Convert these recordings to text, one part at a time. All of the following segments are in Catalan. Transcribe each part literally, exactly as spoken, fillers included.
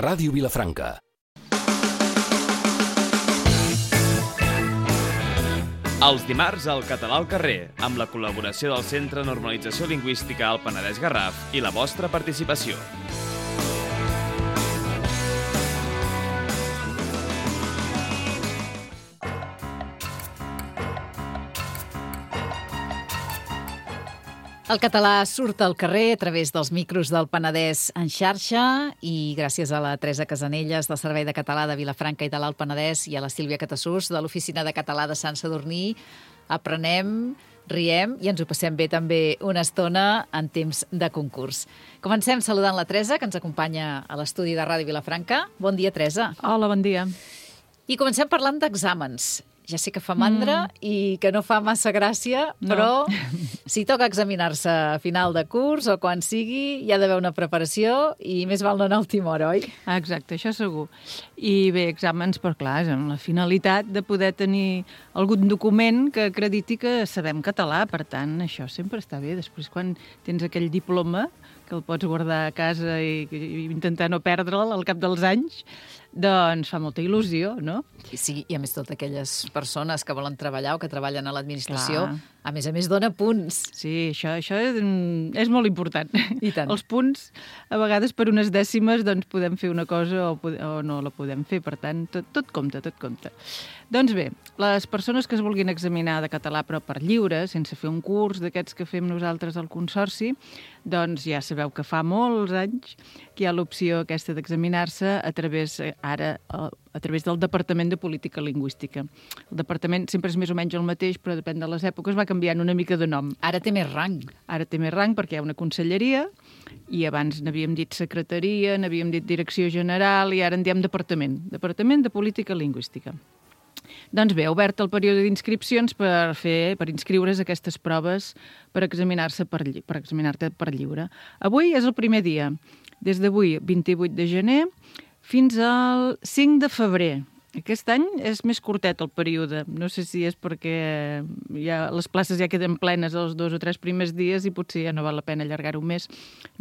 Ràdio Vilafranca. Els dimarts al Català al carrer, amb la col·laboració del Centre de Normalització Lingüística al Penedès Garraf i la vostra participació. El català surt al carrer a través dels micros del Penedès en xarxa i gràcies a la Teresa Casanelles del Servei de Català de Vilafranca i de l'Alt Penedès i a la Sílvia Catassús de l'Oficina de Català de Sant Sadurní aprenem, riem i ens ho passem bé també una estona en temps de concurs. Comencem saludant la Teresa, que ens acompanya a l'estudi de Ràdio Vilafranca. Bon dia, Teresa. Hola, bon dia. I comencem parlant d'exàmens. Ja sé que fa mandra mm. i que no fa massa gràcia, no. Però si toca examinar-se a final de curs o quan sigui, hi ha d'haver una preparació i més val no anar a última hora, oi? Exacte, això segur. I bé, exàmens, però clar, és amb la finalitat de poder tenir algun document que acrediti que sabem català, per tant, això sempre està bé. Després, quan tens aquell diploma, que el pots guardar a casa i, i intentar no perdre'l al cap dels anys, doncs fa molta il·lusió, no? Sí, i a més totes aquelles persones que volen treballar o que treballen a l'administració, Clar. a més a més dona punts. Sí, això, això és molt important. I tant. Els punts, a vegades per unes dècimes, doncs podem fer una cosa o, o no la podem fer, per tant, tot, tot compta, tot compta. Doncs bé, les persones que es vulguin examinar de català però per lliure, sense fer un curs d'aquests que fem nosaltres al Consorci, doncs ja sabeu que fa molts anys que hi ha l'opció aquesta d'examinar-se a través, ara, a través del Departament de Política Lingüística. El departament sempre és més o menys el mateix, però depèn de les èpoques, va canviant una mica de nom. Ara té més rang. Ara té més rang perquè hi ha una conselleria i abans n'havíem dit secretaria, n'havíem dit direcció general i ara en diem departament. Departament de Política Lingüística. Doncs bé, ha obert el període d'inscripcions per fer, per inscriure's a aquestes proves per examinar-se per, per examinar-te per lliure. Avui és el primer dia, des d'avui, vint-i-vuit de gener, fins al cinc de febrer. Aquest any és més curtet el període. No sé si és perquè ja, les places ja queden plenes els dos o tres primers dies i potser ja no val la pena allargar-ho més.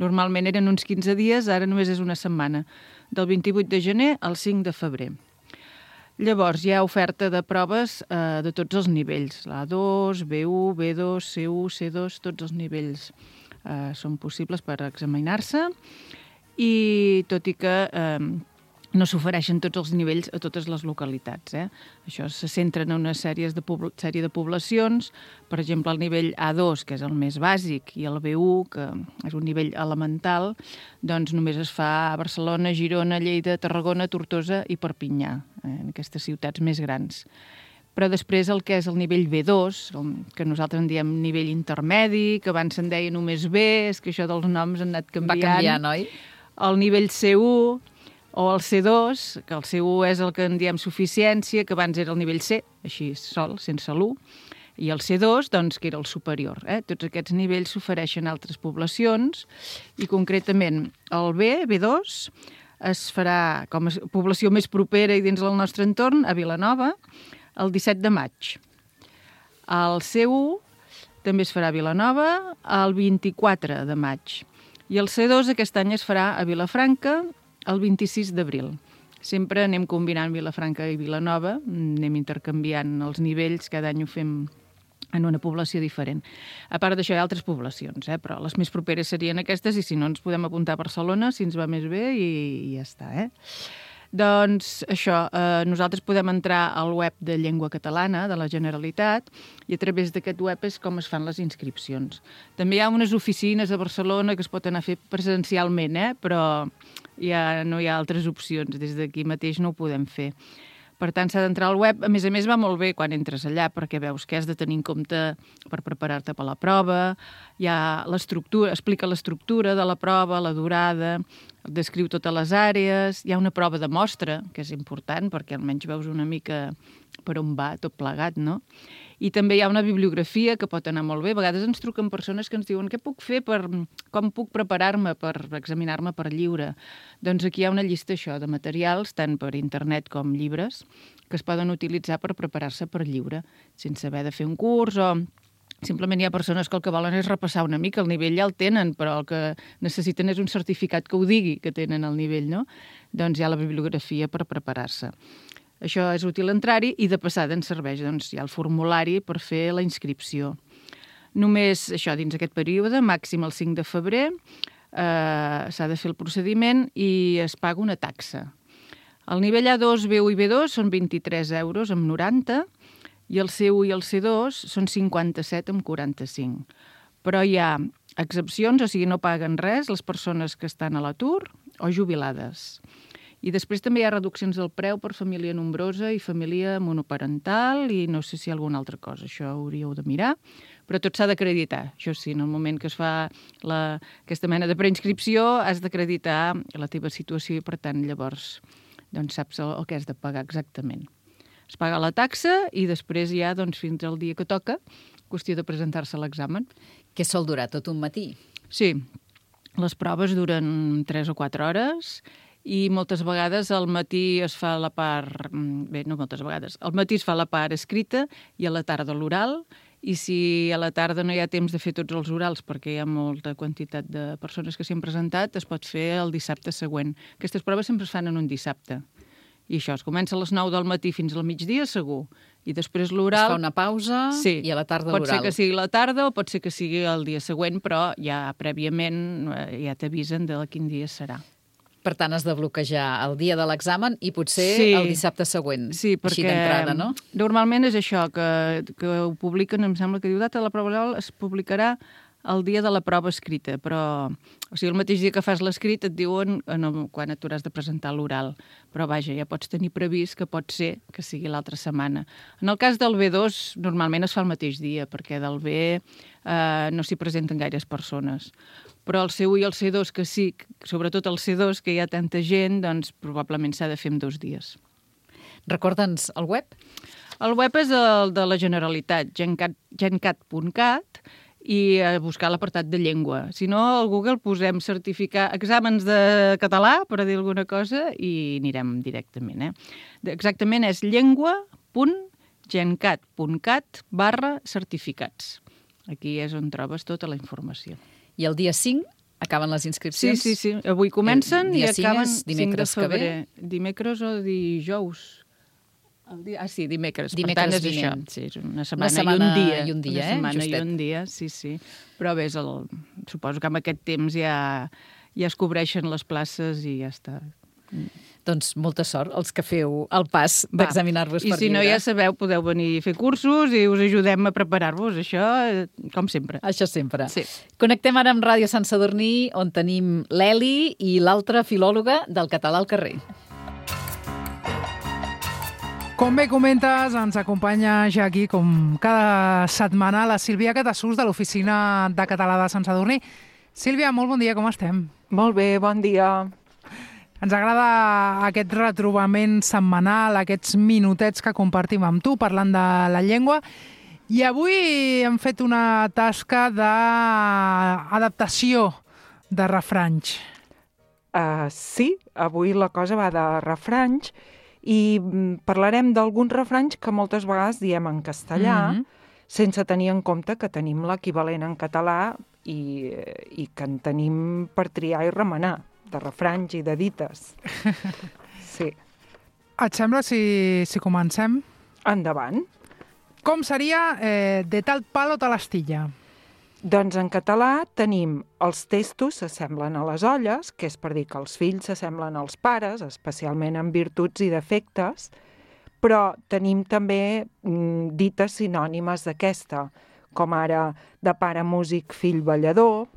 Normalment eren uns quinze dies, ara només és una setmana, del vint-i-vuit de gener al cinc de febrer. Llavors, hi ha oferta de proves eh, de tots els nivells, l'A dos, B u, B dos, C u, C dos, tots els nivells eh, són possibles per examinar-se i tot i que eh, no s'ofereixen tots els nivells a totes les localitats. Eh? Això se centra en una sèrie de, sèrie de poblacions, per exemple, el nivell A dos, que és el més bàsic, i el B u, que és un nivell elemental, doncs només es fa a Barcelona, Girona, Lleida, Tarragona, Tortosa i Perpinyà, eh? en aquestes ciutats més grans. Però després el que és el nivell B dos, que nosaltres en diem nivell intermedi, que abans se'n deia només B, és que això dels noms han anat canviant. Va canviant, oi? El nivell C u, o el C dos, que el C u és el que en diem suficiència, que abans era el nivell C, així sol, sense l'u, i el C dos, doncs, que era el superior. Eh? Tots aquests nivells s'ofereixen a altres poblacions, i concretament el B, B dos, es farà com a població més propera i dins del nostre entorn, a Vilanova, el disset de maig. El C u també es farà a Vilanova el vint-i-quatre de maig. I el C dos aquest any es farà a Vilafranca el vint-i-sis d'abril. Sempre anem combinant Vilafranca i Vilanova, anem intercanviant els nivells, cada any ho fem en una població diferent. A part d'això hi ha altres poblacions, eh? Però les més properes serien aquestes i si no ens podem apuntar a Barcelona, si ens va més bé i, i ja està. Eh? Doncs això, eh, nosaltres podem entrar al web de Llengua Catalana de la Generalitat i a través d'aquest web és com es fan les inscripcions. També hi ha unes oficines a Barcelona que es pot anar a fer presencialment, eh? Però ja no hi ha altres opcions, des d'aquí mateix no ho podem fer. Per tant, s'ha d'entrar al web. A més a més, va molt bé quan entres allà, perquè veus què has de tenir en compte per preparar-te per la prova. Hi ha l'estructura, explica l'estructura de la prova, la durada, descriu totes les àrees. Hi ha una prova de mostra, que és important, perquè almenys veus una mica per on va tot plegat, no? I també hi ha una bibliografia que pot anar molt bé. A vegades ens truquen persones que ens diuen què puc fer, per, com puc preparar-me per examinar-me per lliure. Doncs aquí hi ha una llista això de materials, tant per internet com llibres, que es poden utilitzar per preparar-se per lliure, sense haver de fer un curs o Simplement hi ha persones que el que volen és repassar una mica, el nivell ja el tenen, però el que necessiten és un certificat que ho digui que tenen el nivell, no? Doncs hi ha la bibliografia per preparar-se. Això és útil entrar-hi i de passada ens serveix, doncs hi ha el formulari per fer la inscripció. Només això, dins aquest període, màxim el cinc de febrer, eh, s'ha de fer el procediment i es paga una taxa. El nivell A dos, B u i B dos són vint-i-tres euros amb noranta, i el C u i el C dos són cinquanta-set amb quaranta-cinc. Però hi ha excepcions, o sigui, no paguen res les persones que estan a l'atur o jubilades. I després també hi ha reduccions del preu per família nombrosa i família monoparental i no sé si alguna altra cosa, això hauríeu de mirar, però tot s'ha d'acreditar. Això sí, en el moment que es fa la, aquesta mena de preinscripció has d'acreditar la teva situació i, per tant, llavors doncs, saps el, el que has de pagar exactament. Es paga la taxa i després ja, doncs, fins al dia que toca, qüestió de presentar-se a l'examen. Què sol durar? Tot un matí? Sí, les proves duren tres o quatre hores i moltes vegades al matí es fa la part... Bé, no moltes vegades. Al matí es fa la part escrita i a la tarda l'oral, i si a la tarda no hi ha temps de fer tots els orals perquè hi ha molta quantitat de persones que s'hi han presentat, es pot fer el dissabte següent. Aquestes proves sempre es fan en un dissabte. I això, es comença a les nou del matí fins al migdia, segur. I després l'oral... Es fa una pausa sí. I a la tarda l'oral. Pot ser que sigui la tarda o pot ser que sigui el dia següent, però ja prèviament ja t'avisen de quin dia serà. Per tant, has de bloquejar el dia de l'examen i potser sí. el dissabte següent. Sí, perquè així d'entrada, no? Normalment és això, que, que ho publiquen, em sembla que diu data de la prova oral es publicarà el dia de la prova escrita, però o sigui, el mateix dia que fas l'escrit et diuen en el, quan et hauràs de presentar l'oral. Però vaja, ja pots tenir previst que pot ser que sigui l'altra setmana. En el cas del B dos, normalment es fa el mateix dia, perquè del B eh, no s'hi presenten gaires persones. Però el C u i el C dos, que sí, sobretot el C dos, que hi ha tanta gent, doncs probablement s'ha de fer en dos dies. Recorda'ns el web? El web és el de la Generalitat, gencat punt cat, i a buscar l'apartat de llengua. Si no, al Google posem certificar exàmens de català, per dir alguna cosa, i anirem directament. Eh? Exactament és llengua punt gencat punt cat barra certificats. Aquí és on trobes tota la informació. I el dia cinc acaben les inscripcions? Sí, sí, sí. Avui comencen i acaben dimecres cinc de febrer. que ve? Dimecres o dijous. El dia... Ah, sí, dimecres. Dimecres per tant, és vinent. això. Sí, és una setmana, una setmana i un dia. I un dia, una eh? setmana Justet. i un dia, sí, sí. Però bé, el... suposo que amb aquest temps ja, ja es cobreixen les places i ja està. Doncs molta sort els que feu el pas d'examinar-vos per lliure. I si no, ja sabeu, podeu venir a fer cursos i us ajudem a preparar-vos. Això, com sempre. Això sempre. Sí. Connectem ara amb Ràdio Sant Sadurní, on tenim l'Eli i l'altra filòloga del català al carrer. Com bé comentes, ens acompanya ja aquí, com cada setmana, la Sílvia Catassús, de l'Oficina de Català de Sant Sadurní. Sílvia, molt bon dia, com estem? Molt bé, bon dia. Ens agrada aquest retrobament setmanal, aquests minutets que compartim amb tu, parlant de la llengua. I avui hem fet una tasca d'adaptació de refranys. Uh, sí, avui la cosa va de refranys, i parlarem d'alguns refranys que moltes vegades diem en castellà, mm-hmm. sense tenir en compte que tenim l'equivalent en català i, i que en tenim per triar i remenar, de refranys i de dites. Sí. Et sembla si, si comencem? Endavant. Com seria eh, de tal palo tal astilla? Doncs en català tenim els testos s'assemblen a les olles, que és per dir que els fills s'assemblen als pares, especialment en virtuts i defectes, però tenim també mm, dites sinònimes d'aquesta, com ara de pare músic, fill ballador,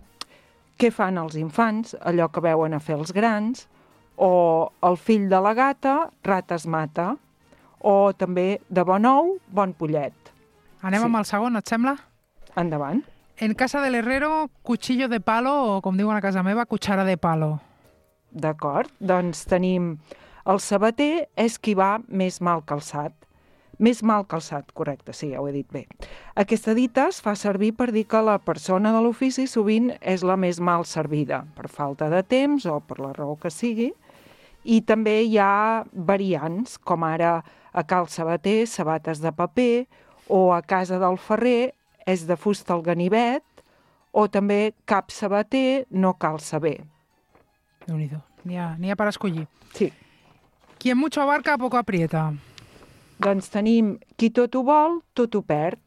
què fan els infants, allò que veuen a fer els grans, o el fill de la gata, rates mata, o també de bon ou, bon pollet. Anem sí. amb el segon, et sembla? Endavant. En casa del herrero, cuchillo de palo, o com diuen a casa meva, cuchara de palo. D'acord, doncs tenim el sabater és qui va més mal calçat. Més mal calçat, correcte, sí, ja ho he dit bé. Aquesta dita es fa servir per dir que la persona de l'ofici sovint és la més mal servida, per falta de temps o per la raó que sigui. I també hi ha variants, com ara a cal sabater, sabates de paper, o a casa del ferrer, és de fusta al ganivet, o també cap sabater no cal saber. Déu-n'hi-do, n'hi ha, n'hi ha per escollir. Sí. Quien mucho abarca, poco aprieta. Doncs tenim qui tot ho vol, tot ho perd.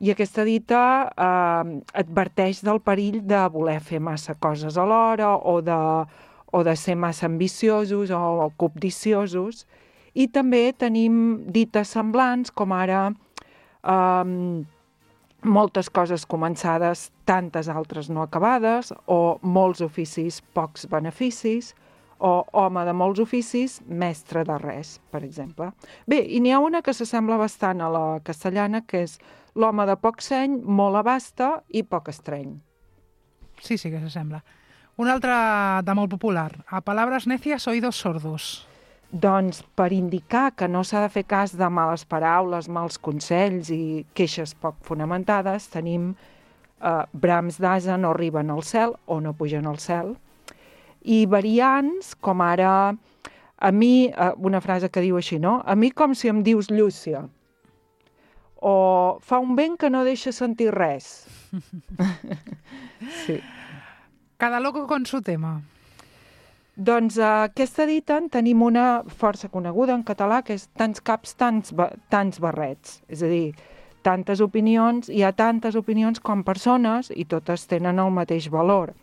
I aquesta dita eh, adverteix del perill de voler fer massa coses alhora o de, o de ser massa ambiciosos o, o cobdiciosos. I també tenim dites semblants, com ara eh, moltes coses començades, tantes altres no acabades, o molts oficis, pocs beneficis, o home de molts oficis, mestre de res, per exemple. Bé, i n'hi ha una que s'assembla bastant a la castellana, que és l'home de poc seny, molt abasta i poc estreny. Sí, sí que s'assembla. Una altra de molt popular. A palabras necias, oídos sordos. Doncs per indicar que no s'ha de fer cas de males paraules, mals consells i queixes poc fonamentades, tenim eh, brams d'ase no arriben al cel o no pugen al cel. I variants, com ara, a mi, eh, una frase que diu així, no? A mi com si em dius Llúcia. O fa un vent que no deixa sentir res. Sí. Cada loco con su tema. Doncs eh, aquesta dita en tenim una força coneguda en català, que és tants caps, tants, tants barrets. És a dir, tantes opinions, hi ha tantes opinions com persones i totes tenen el mateix valor.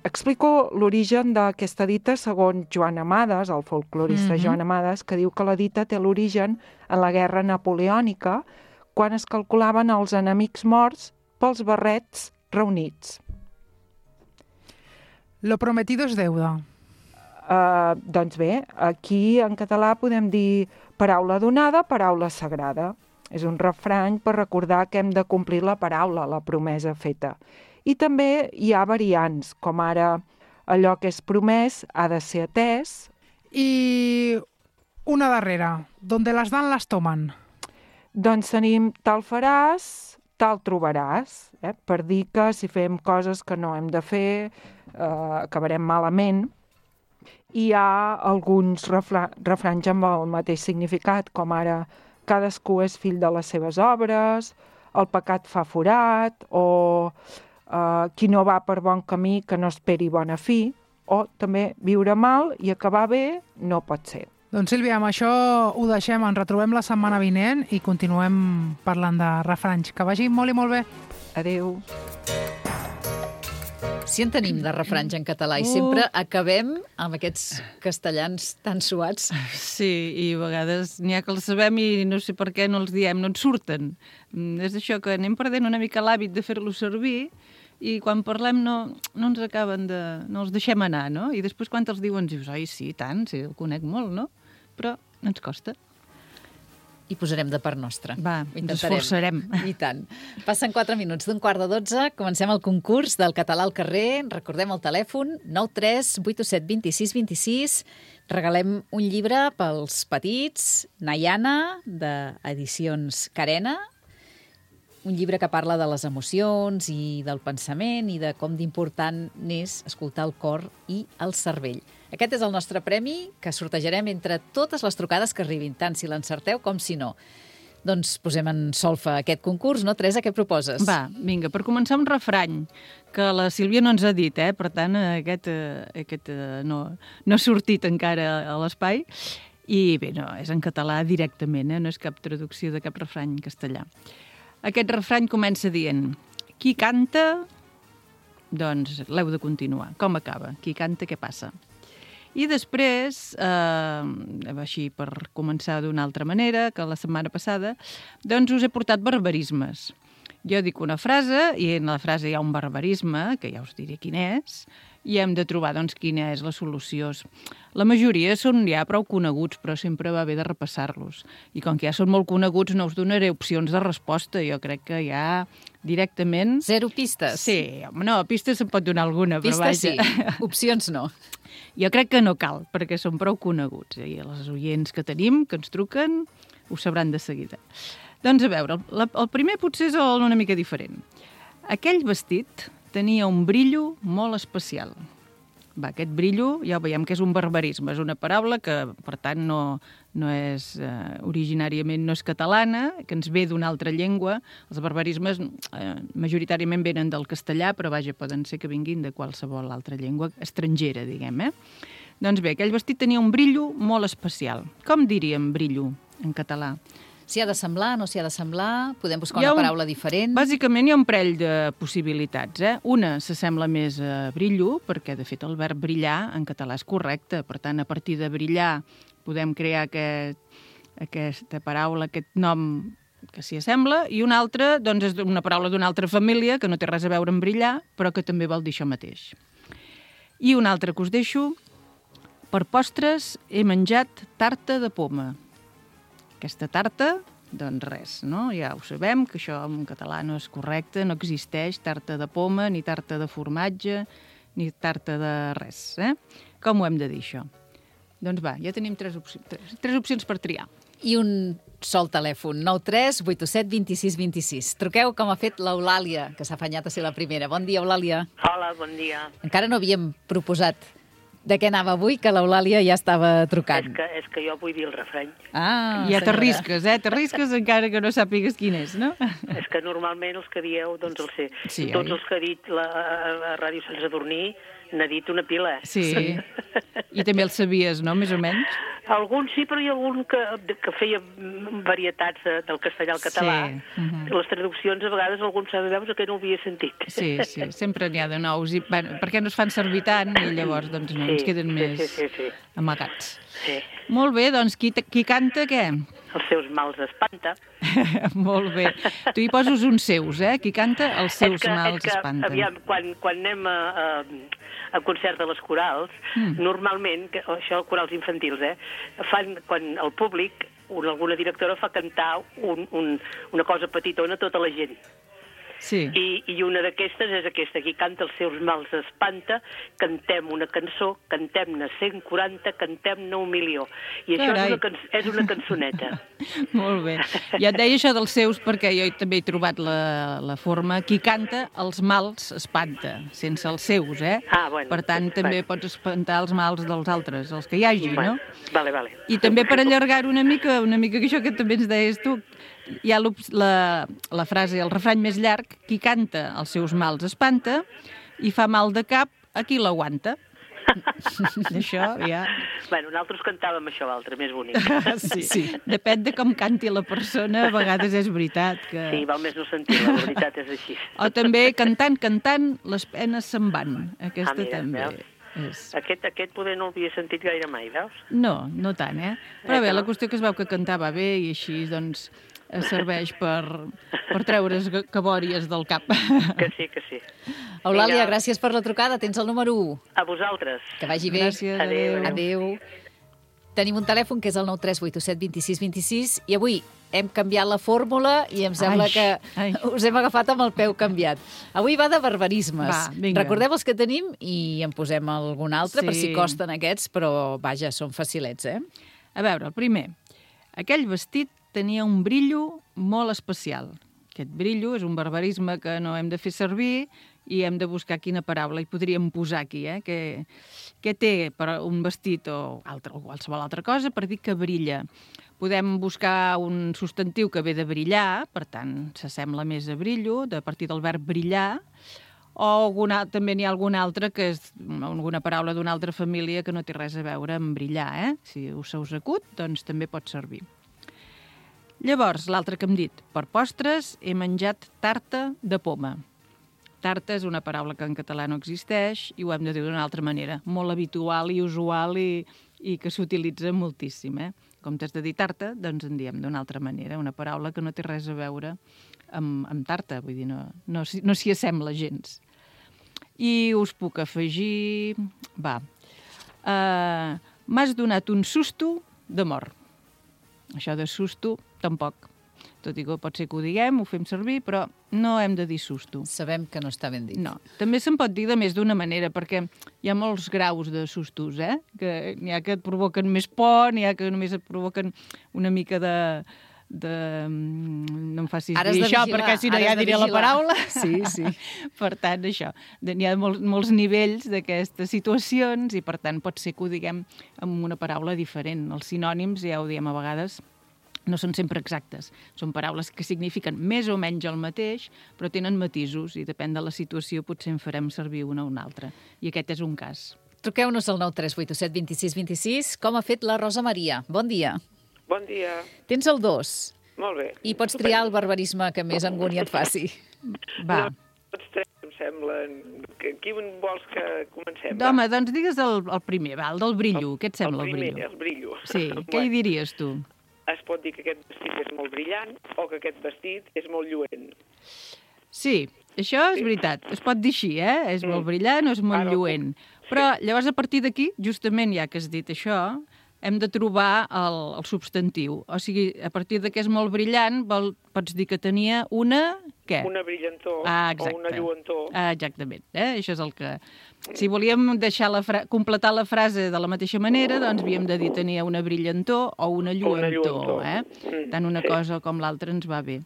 Explico l'origen d'aquesta dita segons Joan Amades, el folclorista mm-hmm. Joan Amades, que diu que la dita té l'origen en la guerra napoleònica, quan es calculaven els enemics morts pels barrets reunits. Lo prometido es deuda. Uh, doncs bé, aquí en català podem dir paraula donada, paraula sagrada. És un refrany per recordar que hem de complir la paraula, la promesa feta. I també hi ha variants, com ara allò que és promès ha de ser atès. I una darrera, donde las dan las toman. Doncs tenim tal faràs, tal trobaràs, eh? Per dir que si fem coses que no hem de fer, eh, acabarem malament. I hi ha alguns refra refranys amb el mateix significat, com ara cadascú és fill de les seves obres, el pecat fa forat, o Uh, qui no va per bon camí que no esperi bona fi, o també viure mal i acabar bé no pot ser. Doncs Sílvia, amb això ho deixem, ens retrobem la setmana vinent i continuem parlant de refranys. Que vagi molt i molt bé. Adéu. Si en tenim de refranys en català i sempre acabem amb aquests castellans tan suats. Sí, i a vegades n'hi ha que els sabem i no sé per què no els diem, no ens surten. És això que anem perdent una mica l'hàbit de fer-los servir i quan parlem no, no ens acaben de... no els deixem anar, no? I després quan els diuen dius, ai, sí, tant, sí, el conec molt, no? Però ens costa. I posarem de part nostra. Va, ens esforçarem. I tant. Passen quatre minuts d'un quart de dotze. Comencem el concurs del català al carrer. Recordem el telèfon nou tres vuit set dos sis dos sis. Regalem un llibre pels petits, Nayana, d'Edicions Carena. Un llibre que parla de les emocions i del pensament i de com d'important n'és escoltar el cor i el cervell. Aquest és el nostre premi que sortejarem entre totes les trucades que arribin, tant si l'encerteu com si no. Doncs posem en solfa aquest concurs, no, Teresa? Què proposes? Va, vinga, per començar un refrany, que la Sílvia no ens ha dit, eh? Per tant, aquest, aquest no, no ha sortit encara a l'espai. I bé, no, és en català directament, eh? No és cap traducció de cap refrany en castellà. Aquest refrany comença dient: qui canta, doncs l'heu de continuar. Com acaba? Qui canta, què passa? I després, eh, així per començar d'una altra manera que la setmana passada, doncs us he portat barbarismes. Jo dic una frase i en la frase hi ha un barbarisme, que ja us diré quin és, i hem de trobar doncs, quina és la solució. La majoria són ja prou coneguts, però sempre va bé de repassar-los. I com que ja són molt coneguts, no us donaré opcions de resposta. Jo crec que ja directament... Zero pistes? Sí, no, pistes se'n pot donar alguna, però vaja. Pistes sí, opcions no. Jo crec que no cal, perquè són prou coneguts. I els oients que tenim, que ens truquen, ho sabran de seguida. Doncs a veure, el, el primer potser és una mica diferent. Aquell vestit tenia un brillo molt especial. Va, aquest brillo ja ho veiem que és un barbarisme, és una paraula que, per tant, no, no és, eh, originàriament no és catalana, que ens ve d'una altra llengua. Els barbarismes eh, majoritàriament venen del castellà, però vaja, poden ser que vinguin de qualsevol altra llengua estrangera, diguem, eh? Doncs bé, aquell vestit tenia un brillo molt especial. Com diríem brillo en català? S'hi ha de semblar, no s'hi ha de semblar? Podem buscar Hi ha una un- paraula diferent? Bàsicament hi ha un parell de possibilitats. Eh? Una s'assembla més a brillo, perquè de fet el verb brillar en català és correcte. Per tant, a partir de brillar podem crear aquest, aquesta paraula, aquest nom que s'hi assembla, i una altra doncs, és una paraula d'una altra família que no té res a veure amb brillar, però que també vol dir això mateix. I una altra que us deixo: per postres he menjat tarta de poma. Aquesta tarta, doncs res, no? Ja ho sabem, que això en català no és correcte, no existeix tarta de poma, ni tarta de formatge, ni tarta de res, eh? Com ho hem de dir, això? Doncs va, ja tenim tres, opci tres, tres opcions per triar. I un sol telèfon, nou tres vuit set dos sis dos sis. Truqueu com ha fet l'Eulàlia, que s'ha afanyat a ser la primera. Bon dia, Eulàlia. Hola, bon dia. Encara no havíem proposat de què anava avui, que l'Eulàlia ja estava És trucant. que, és que jo vull dir el refreny. Ah, Ja senyora. t'arrisques, eh? T'arrisques encara que no sàpigues quin és, no? És que normalment els que dieu, doncs el sé. Sí, I tots oi? els que ha dit la, la Ràdio Sant Sadurní n'ha dit una pila. Sí. I també el sabies, no?, més o menys? Algun sí, però hi ha algun que, que feia varietats de, del castellà al català. Sí. Mhm. Les traduccions, a vegades, algun sabe veus que no ho havia sentit. Sí, sí, sempre n'hi ha de nous. I, bueno, perquè no es fan servir tant i llavors doncs, no, Sí, ens queden sí, més sí, sí, sí. amagats. Sí. Molt bé, doncs qui, qui canta què? Els seus mals espanta. Molt bé. Tu hi poses uns seus, eh? Qui canta els seus és que, mals és que, espanten. Aviam, quan, quan anem a, a, a concert de les corals, mm. normalment, que, això corals infantils, eh, fan, quan el públic, una, alguna directora fa cantar un, un, una cosa petitona a tota la gent. Sí. I, i una d'aquestes és aquesta, qui canta els seus mals espanta, cantem una cançó, cantem-ne cent quaranta, cantem-ne un milió. I això Carai. és una, can és una cançoneta. Molt bé. Ja et deia això dels seus perquè jo també he trobat la, la forma qui canta els mals espanta, sense els seus, eh? Ah, bueno. Per tant, també Bueno. pots espantar els mals dels altres, els que hi hagi, Bueno, no? Vale, vale. I també per allargar-ho una mica, una mica que això que també ens deies tu, hi ha la, la frase, el refrany més llarg: qui canta els seus mals espanta i fa mal de cap a qui l'aguanta. Això ja... Bueno, nosaltres cantàvem això altre, més bonic. Sí. Sí. Depèn de com canti la persona, a vegades és veritat que... Sí, val més no sentir-la, la veritat és així. O també cantant, cantant, les penes se'n van. Aquesta Ah, mira, també veus? és... Aquest, aquest poder no l'havia sentit gaire mai, veus? No, no tant, eh? Però Eh, bé, que la no? qüestió que es veu que cantava bé i així, doncs, es serveix per, per treure's cabòries del cap. Que sí, que sí. Eulàlia, Vinga. gràcies per la trucada. Tens el número u. A vosaltres. Que vagi bé. Gràcies, Adéu, adéu. Adéu. Tenim un telèfon que és el nou tres vuit set dos sis dos sis i avui hem canviat la fórmula i em sembla Ai, que ai. us hem agafat amb el peu canviat. Avui va de barbarismes. Va, vinga. Recordeu els que tenim i en posem algun altre per si Sí. costen aquests, però vaja, són facilets, eh? A veure, el primer. Aquell vestit tenia un brillo molt especial. Aquest brillo és un barbarisme que no hem de fer servir i hem de buscar quina paraula hi podríem posar aquí, eh? Què, què té per un vestit o, altre, o qualsevol altra cosa per dir que brilla? Podem buscar un substantiu que ve de brillar, per tant, s'assembla més a brillo, de partir del verb brillar, o alguna, també n'hi ha alguna altra que és alguna paraula d'una altra família que no té res a veure amb brillar, eh? Si us se us acut, doncs també pot servir. Llavors, l'altre que hem dit, per postres he menjat tarta de poma. Tarta és una paraula que en català no existeix i ho hem de dir d'una altra manera, molt habitual i usual i, i que s'utilitza moltíssim, eh? Com t'has de dir tarta, doncs en diem d'una altra manera, una paraula que no té res a veure amb, amb tarta, vull dir, no, no, s'hi- no s'hi assembla gens. I us puc afegir... Va. Uh, M'has donat un susto de mort. Això de susto, tampoc. Tot i que pot ser que ho diguem, ho fem servir, però no hem de dir susto. Sabem que no està ben dit. No. També se'n pot dir de més d'una manera, perquè hi ha molts graus de sustos, eh? Que n'hi ha que et provoquen més por, n'hi ha que només et provoquen una mica de, de... No em facis Ara has dir de això, vigilar, perquè si no ara ja has de diré la vigilar. paraula. Sí, sí. Per tant, això. N'hi ha molts, molts nivells d'aquestes situacions i, per tant, pot ser que ho diguem amb una paraula diferent. Els sinònims, ja ho diem a vegades, no són sempre exactes. Són paraules que signifiquen més o menys el mateix, però tenen matisos i depèn de la situació potser en farem servir una o una altra. I aquest és un cas. Truqueu-nos al nou tres vuit set dos sis dos sis. Com ha fet la Rosa Maria? Bon dia. Bon dia. Tens el dos. Molt bé. I pots triar el barbarisme que més angúnia et faci. Va. No, tots tres em semblen... Qui vols que comencem? Home, doncs digues el, el primer, va, el del brillo. Què et sembla el, el primer, brillo? el brillo. Sí, què hi diries tu? Es pot dir que aquest vestit és molt brillant o que aquest vestit és molt lluent. Sí, això és veritat. Es pot dir així, eh? És molt brillant o és molt Ara, lluent. Però llavors a partir d'aquí, justament ja que has dit això, hem de trobar el, el substantiu. O sigui, a partir de que és molt brillant, vol, pots dir que tenia una... Què? Una brillantor ah, o una lluentor. Ah, exactament. Eh? Això és el que... Si volíem deixar la fra... completar la frase de la mateixa manera, doncs havíem de dir tenia una brillantor o una lluentor. Una lluentor. Eh? Mm, Tant una sí. cosa com l'altra ens va bé.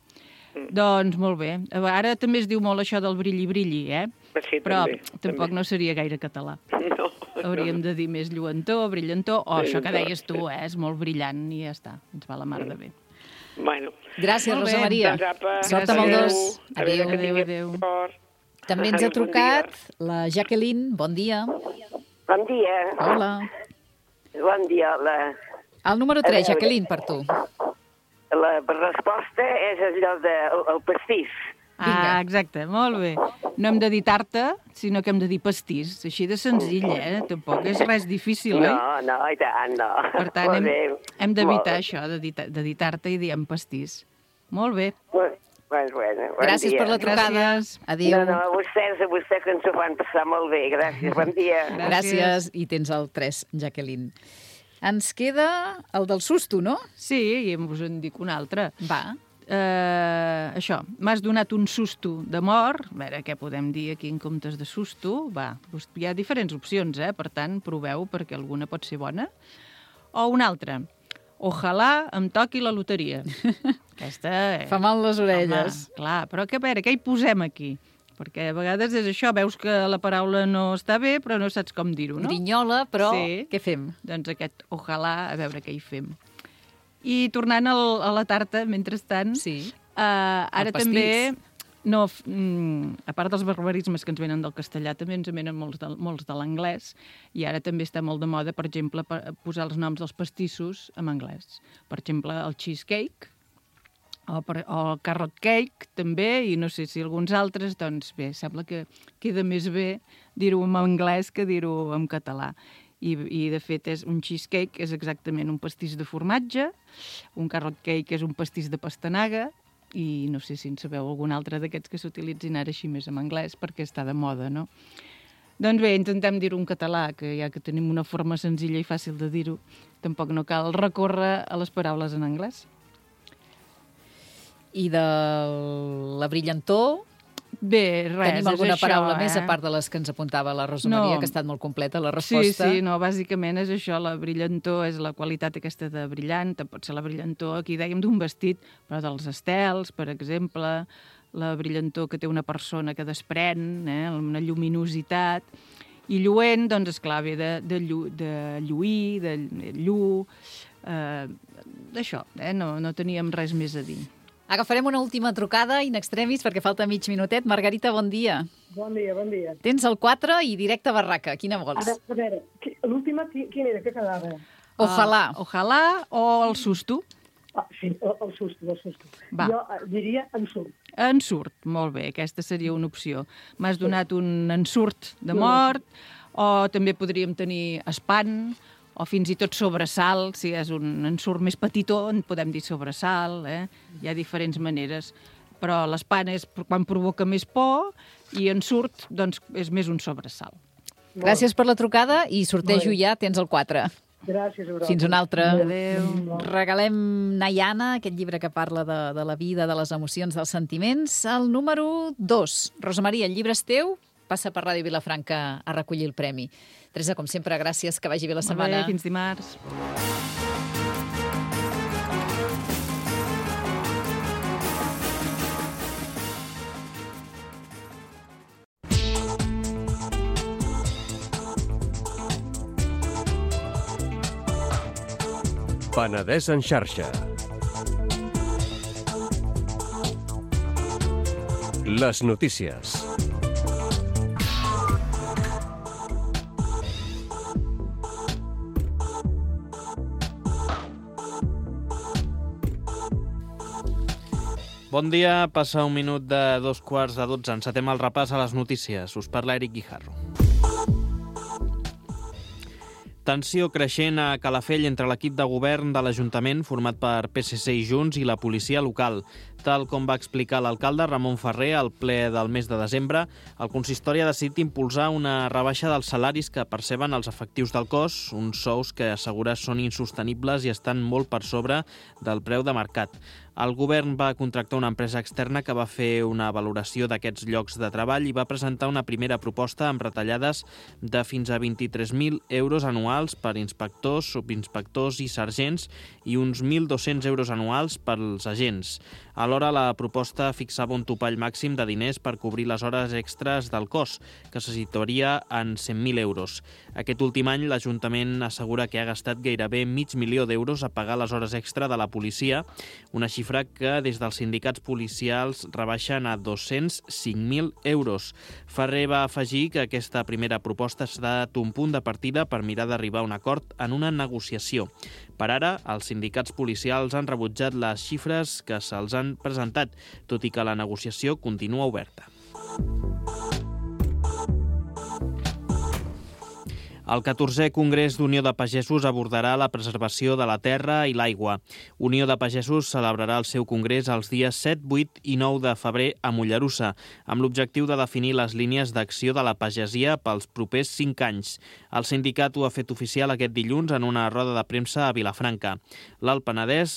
Mm. Doncs molt bé. Ara també es diu molt això del brilli-brilli, eh? Sí, però també, tampoc també. no seria gaire català. No. Hauríem de dir més lluentor, brillantor, o Sí, això que deies tu, sí. eh? És molt brillant i ja està. Ens va la mar de bé. Bueno. Gràcies, Molt bé. Rosa Maria. Doncs apa, Sort amb el adéu. dos. A veure que Adéu, tingueu adéu. sort. També ens ha Adéu, bon trucat dia. la Jacqueline. Bon dia. Bon dia. Hola. Bon dia. La, El número tres, Jacqueline, per tu. la resposta és allò del de, el, el pastís. Ah, exacte, molt bé. No hem de dir tarta, sinó que hem de dir pastís. Així de senzill, eh? Tampoc és res difícil, oi? No, no, i tant, no. Per tant, Molt hem, bé. hem d'evitar Molt bé. això, de dir, de dir tarta i diem pastís. Molt bé. Bueno, bueno, bon Gràcies dia. per la trucada. Gràcies. Adéu. No, no, a vostès, a vostès que ens ho fan passar molt bé. Gràcies, bon dia. Gràcies. I tens el tres, Jacqueline. Ens queda el del susto, no? Sí, i us en dic un altre. Va. Uh, això, m'has donat un susto de mort. A veure, què podem dir aquí en comptes de susto? Va, hi ha diferents opcions, eh? Per tant, proveu, perquè alguna pot ser bona. O una altra. Ojalà em toqui la loteria. Aquesta... Eh? Fa mal les orelles. Home, clar, però que, a veure, què hi posem aquí? Perquè a vegades és això, veus que la paraula no està bé, però no saps com dir-ho, no? Grinyola, però Sí. què fem? Doncs aquest ojalà, a veure què hi fem. I tornant al, a la tarta, mentrestant, Sí. uh, ara El pastís. també, no, f- mm, a part dels barbarismes que ens venen del castellà, també ens en venen molts de, molts de l'anglès, i ara també està molt de moda, per exemple, per posar els noms dels pastissos en anglès. Per exemple, el cheesecake, o, per, o el carrot cake, també, i no sé si alguns altres, doncs bé, sembla que queda més bé dir-ho en anglès que dir-ho en català. I, i de fet és un cheesecake és exactament un pastís de formatge, un carrot cake és un pastís de pastanaga, i no sé si en sabeu algun altre d'aquests que s'utilitzin ara així més en anglès, perquè està de moda, no? Doncs bé, intentem dir-ho en català, que ja que tenim una forma senzilla i fàcil de dir-ho, tampoc no cal recórrer a les paraules en anglès. I de la brillantor, Bé, res, tenim alguna és això, paraula eh? més, a part de les que ens apuntava la Rosa No. Maria, que ha estat molt completa la Sí, resposta. sí, no, bàsicament és això, la brillantor és la qualitat aquesta de brillant, pot ser la brillantor, aquí dèiem d'un vestit, però dels estels, per exemple, la brillantor que té una persona que desprèn, eh, una lluminositat, i lluent, doncs, esclar, ve de, de, llu, de lluir, de llu, eh, d'això, eh, no, no teníem res més a dir. Agafarem una última trucada in extremis perquè falta mig minutet. Margarita, bon dia. Bon dia, bon dia. Tens el quatre i directe a barraca. Quina vols? Ara, a veure, qui- l'última, qui- quin era? Què quedava? Ojalà. Uh, ojalà o el susto. Ah, sí, el, el susto, el susto. Va. Jo eh, diria ensurt. Ensurt, molt bé, aquesta seria una opció. M'has donat un ensurt de mort, o també podríem tenir espant, o fins i tot sobresalt, si és un ensurt més petitó, en podem dir sobresalt, eh? Hi ha diferents maneres. Però l'espant és quan provoca més por i ensurt, doncs, és més un sobresalt. Gràcies per la trucada i sortejo ja, tens el quatre. Gràcies a vosaltres. Fins una altra. Adéu. Regalem Nayana, aquest llibre que parla de, de la vida, de les emocions, dels sentiments. El número dos. Rosa Maria, el llibre és teu? Passa per Ràdio Vilafranca a recollir el premi. Teresa, com sempre, gràcies, que vagi bé la Molt setmana. bé, fins dimarts. Penedès en xarxa. Les notícies. Bon dia, passa un minut de dos quarts de dotze. Encetem el repàs a les notícies. Us parla Eric Guijarro. Tensió creixent a Calafell entre l'equip de govern de l'Ajuntament, format per P S C i Junts, i la policia local. Tal com va explicar l'alcalde Ramon Ferrer al ple del mes de desembre, el consistori ha decidit impulsar una rebaixa dels salaris que perceben els efectius del cos, uns sous que assegura són insostenibles i estan molt per sobre del preu de mercat. El govern va contractar una empresa externa que va fer una valoració d'aquests llocs de treball i va presentar una primera proposta amb retallades de fins a vint-i-tres mil euros anuals per inspectors, subinspectors i sergents i uns mil dos-cents euros anuals pels agents. Alhora, la proposta fixava un topall màxim de diners per cobrir les hores extres del cos, que se situaria en cent mil euros. Aquest últim any, l'Ajuntament assegura que ha gastat gairebé mig milió d'euros a pagar les hores extra de la policia, una xifra que des dels sindicats policials rebaixen a dos-cents cinc mil euros. Ferrer va afegir que aquesta primera proposta ha estat un punt de partida per mirar d'arribar a un acord en una negociació. Per ara, els sindicats policials han rebutjat les xifres que se'ls han presentat, tot i que la negociació continua oberta. El catorzè Congrés d'Unió de Pagesos abordarà la preservació de la terra i l'aigua. Unió de Pagesos celebrarà el seu congrés els dies set, vuit i nou de febrer a Mollerussa, amb l'objectiu de definir les línies d'acció de la pagesia pels propers cinc anys. El sindicat ho ha fet oficial aquest dilluns en una roda de premsa a Vilafranca. L'Alt Penedès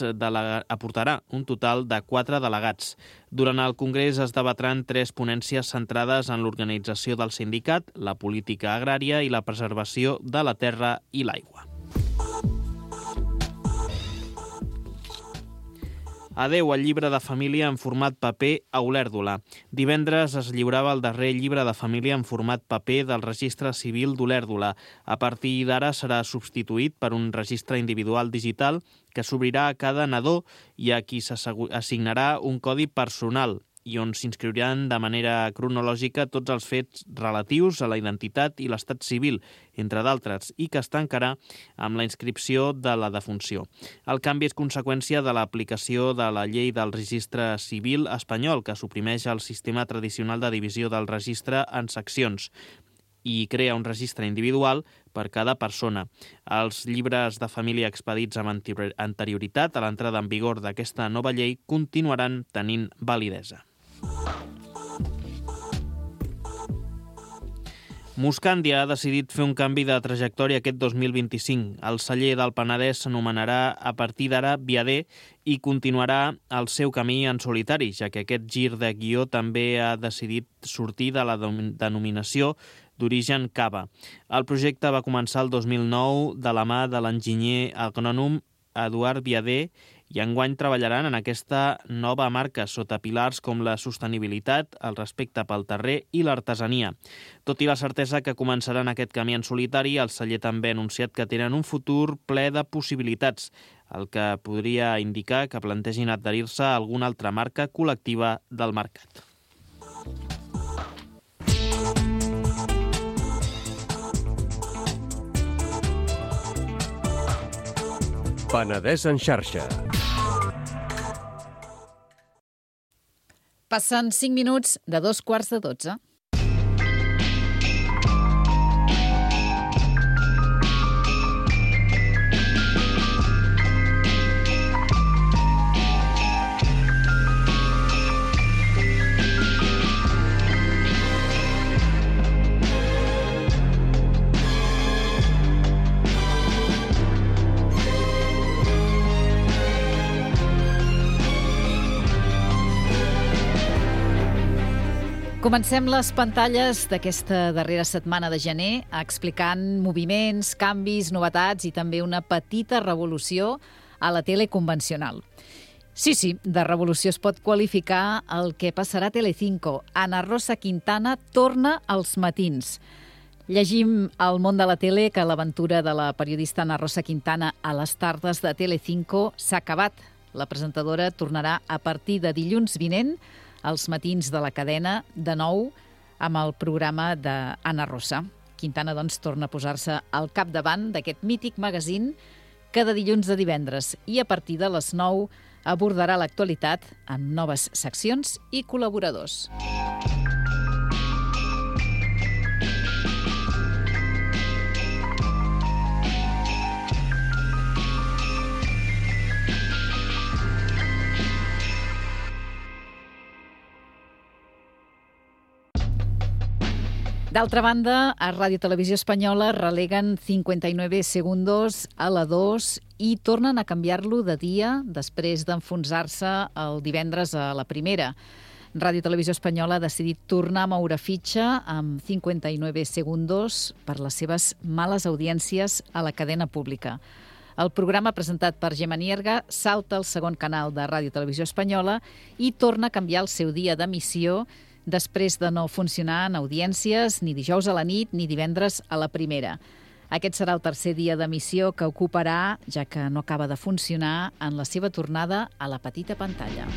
aportarà un total de quatre delegats. Durant el congrés es debatran tres ponències centrades en l'organització del sindicat, la política agrària i la preservació de la terra i l'aigua. Adeu al llibre de família en format paper a Olèrdola. Divendres es lliurava el darrer llibre de família en format paper del registre civil d'Olèrdola. A partir d'ara serà substituït per un registre individual digital que s'obrirà a cada nadó i a qui s'assignarà un codi personal i on s'inscriuran de manera cronològica tots els fets relatius a la identitat i l'estat civil, entre d'altres, i que es tancarà amb la inscripció de la defunció. El canvi és conseqüència de l'aplicació de la llei del registre civil espanyol, que suprimeix el sistema tradicional de divisió del registre en seccions i crea un registre individual per cada persona. Els llibres de família expedits amb anterioritat a l'entrada en vigor d'aquesta nova llei continuaran tenint validesa. Muscandia ha decidit fer un canvi de trajectòria aquest dos mil vint-i-cinc. El celler del Penedès s'anomenarà a partir d'ara Viader i continuarà el seu camí en solitari, ja que aquest gir de guió també ha decidit sortir de la denominació d'origen Cava. El projecte va començar el dos mil nou de la mà de l'enginyer agrònom Eduard Viader i enguany treballaran en aquesta nova marca sota pilars com la sostenibilitat, el respecte pel terrer i l'artesania. Tot i la certesa que començaran aquest camí en solitari, el celler també ha anunciat que tenen un futur ple de possibilitats, el que podria indicar que plantegin adherir-se a alguna altra marca col·lectiva del mercat. Penedès en xarxa. Passen cinc minuts de dos quarts de dotze. Comencem les pantalles d'aquesta darrera setmana de gener explicant moviments, canvis, novetats i també una petita revolució a la tele convencional. Sí, sí, de revolució es pot qualificar el que passarà a Telecinco. Ana Rosa Quintana torna als matins. Llegim al món de la tele que l'aventura de la periodista Ana Rosa Quintana a les tardes de Telecinco s'ha acabat. La presentadora tornarà a partir de dilluns vinent als matins de la cadena, de nou amb el programa d'Anna Rosa. Quintana, doncs, torna a posar-se al capdavant d'aquest mític magazín cada dilluns de divendres i a partir de les nou abordarà l'actualitat amb noves seccions i col·laboradors. D'altra banda, a Ràdio Televisió Espanyola releguen cinquanta-nueve segundos a la dos i tornen a canviar-lo de dia després d'enfonsar-se el divendres a la primera. Ràdio Televisió Espanyola ha decidit tornar a moure fitxa amb cinquanta-nueve segundos per les seves males audiències a la cadena pública. El programa presentat per Gemma Nierga salta al segon canal de Ràdio Televisió Espanyola i torna a canviar el seu dia d'emissió després de no funcionar en audiències ni dijous a la nit ni divendres a la primera. Aquest serà el tercer dia d'emissió que ocuparà, ja que no acaba de funcionar, en la seva tornada a la petita pantalla.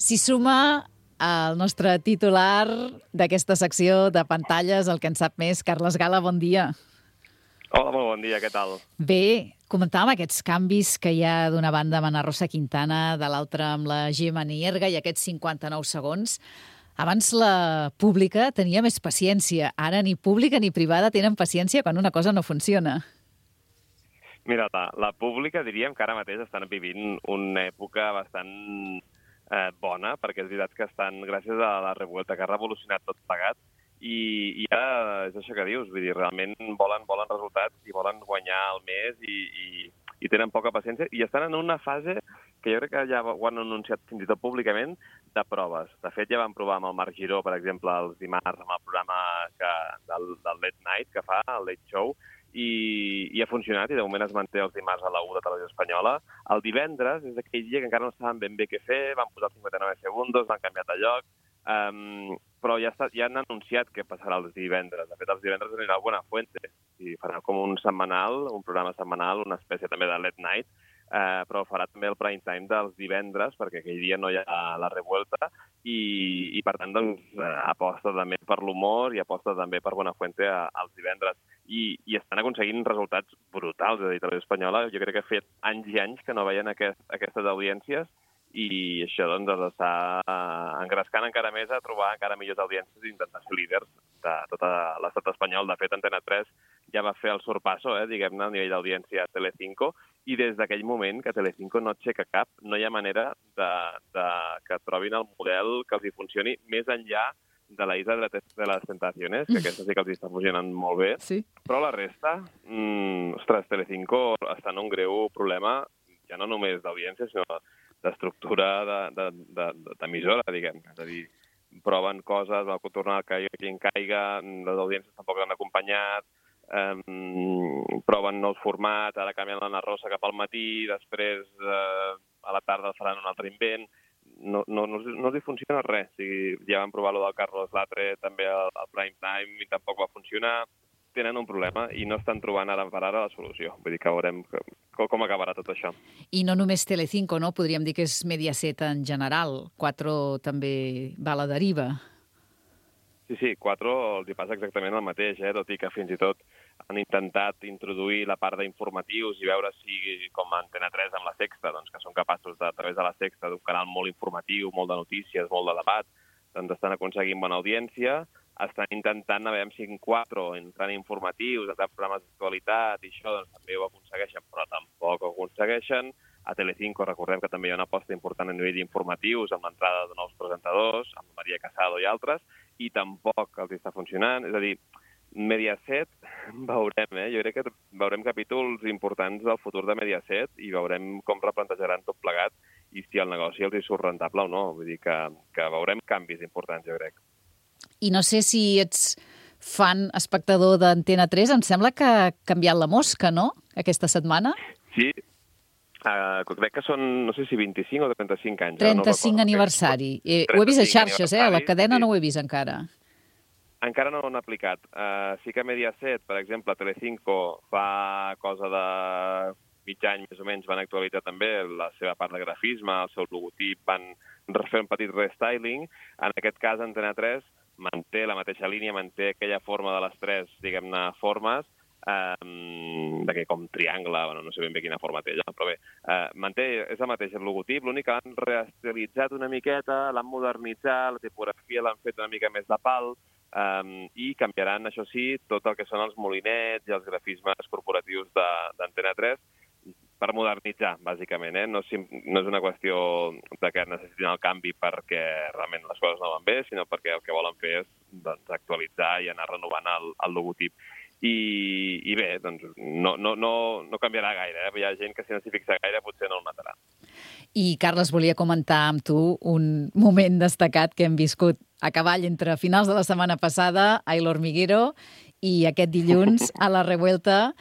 S'hi suma el nostre titular d'aquesta secció de pantalles, el que en sap més. Carles Gala, bon dia. Hola, molt bon dia, què tal? Bé, comentàvem aquests canvis que hi ha d'una banda amb Ana Rosa Quintana, de l'altra amb la Gemma Nierga i aquests cinquanta-nou segons. Abans la pública tenia més paciència. Ara ni pública ni privada tenen paciència quan una cosa no funciona. Mira, la, la pública diríem que ara mateix estan vivint una època bastant Eh, bona, perquè és veritat que estan, gràcies a la revuelta, que ha revolucionat tot plegat, i, i ja és això que dius, vull dir, realment volen, volen resultats i volen guanyar el mes i, i, i tenen poca paciència, i estan en una fase que jo crec que ja ho han anunciat fins i tot públicament, de proves. De fet, ja van provar amb el Marc Giró, per exemple, els dimarts amb el programa que, del, del Late Night que fa, el Late Show, I, i ha funcionat, i de moment es manté els dimarts a la u de Televisió Espanyola. El divendres és aquell dia que encara no saben ben bé què fer, van posar cinquanta-nou segundos, l'han canviat de lloc, um, però ja, està, ja han anunciat què passarà els divendres. De fet, els divendres anirà a Buenafuente, i farà com un setmanal, un programa setmanal, una espècie també de late night, uh, però farà també el prime time dels divendres, perquè aquell dia no hi ha la revuelta, i, i per tant, doncs, aposta també per l'humor i aposta també per Buenafuente als divendres. I, i estan aconseguint resultats brutals de Televisió Espanyola. Jo crec que ha fet anys i anys que no veien aquest, aquestes audiències i això doncs els està engrescant encara més a trobar encara millors audiències i intentar ser líders de tot l'estat espanyol. De fet, Antena tres ja va fer el sorpasso, eh, diguem-ne, a nivell d'audiència a Telecinco, i des d'aquell moment que Telecinco no aixeca cap, no hi ha manera de, de que trobin el model que els hi funcioni més enllà de la Isla de les Tentaciones, que aquesta sí que els està funcionant molt bé, sí. Però la resta, mmm, ostres, Telecinco està en un greu problema, ja no només d'audiència, sinó d'estructura d'emissora, diguem. És a dir, proven coses, va tornar a caure qui en caiga, les audiències tampoc l'han acompanyat, um, proven nous formats, ara canvien l'Anna Rosa cap al matí, després uh, a la tarda faran un altre invent. No, no, no, no els funciona res. O sigui, ja van provar lo del Carlos Latre també al, al prime time i tampoc va funcionar. Tenen un problema i no estan trobant ara per ara la solució. Vull dir que veurem com, com acabarà tot això. I no només Telecinco, no? Podríem dir que és Mediaset en general. Cuatro també va a la deriva. Sí, sí, Cuatro els hi passa exactament el mateix, eh? Tot i que fins i tot han intentat introduir la part d'informatius i veure si, com Antena tres amb la Sexta, doncs, que són capaços, de, a través de la Sexta, d'un canal molt informatiu, molt de notícies, molt de debat, doncs estan aconseguint bona audiència, estan intentant a veure si en Cuatro entran informatius, entran programes d'actualitat i això doncs, també ho aconsegueixen, però tampoc ho aconsegueixen. A Telecinco recordem que també hi ha una aposta important a nivell informatius, amb l'entrada de nous presentadors, amb Maria Casado i altres, i tampoc els està funcionant. És a dir, Mediaset veurem, eh? Jo crec que veurem capítols importants del futur de Mediaset i veurem com replantejaran tot plegat i si el negoci els hi surt rentable o no. Vull dir que, que veurem canvis importants, jo crec. I no sé si ets fan espectador d'Antena tres, em sembla que ha canviat la mosca, no?, aquesta setmana? Sí, uh, crec que són, no sé si vint-i-cinc o trenta-cinc anys. trenta-cinc no aniversari. Eh, ho he vist a xarxes, eh? A la cadena sí. No ho he vist encara. Encara no ho han aplicat. Uh, sí que Mediaset, per exemple, Telecinco, fa cosa de mig any més o menys, van actualitzar també la seva part de grafisme, el seu logotip, van fer un petit restyling. En aquest cas, Antena tres manté la mateixa línia, manté aquella forma de les tres, diguem-ne, formes, um, d'aquell com triangle, bueno, no sé ben bé quina forma té, ja, però bé, uh, manté, és el mateix el logotip, l'únic que l'han reestilitzat una miqueta, l'han modernitzat, la tipografia l'han fet una mica més de pal, Um, i canviaran, això sí, tot el que són els molinets i els grafismes corporatius d'Antena tres per modernitzar, bàsicament. Eh? No, no és una qüestió de que necessitin el canvi perquè realment les coses no van bé, sinó perquè el que volen fer és doncs, actualitzar i anar renovant el, el logotip. I, i bé, doncs no, no, no, no canviarà gaire. Eh? Hi ha gent que si no s'hi fixa gaire potser no el matarà. I, Carles, volia comentar amb tu un moment destacat que hem viscut a cavall entre finals de la setmana passada a El Hormiguero i aquest dilluns a la Revuelta,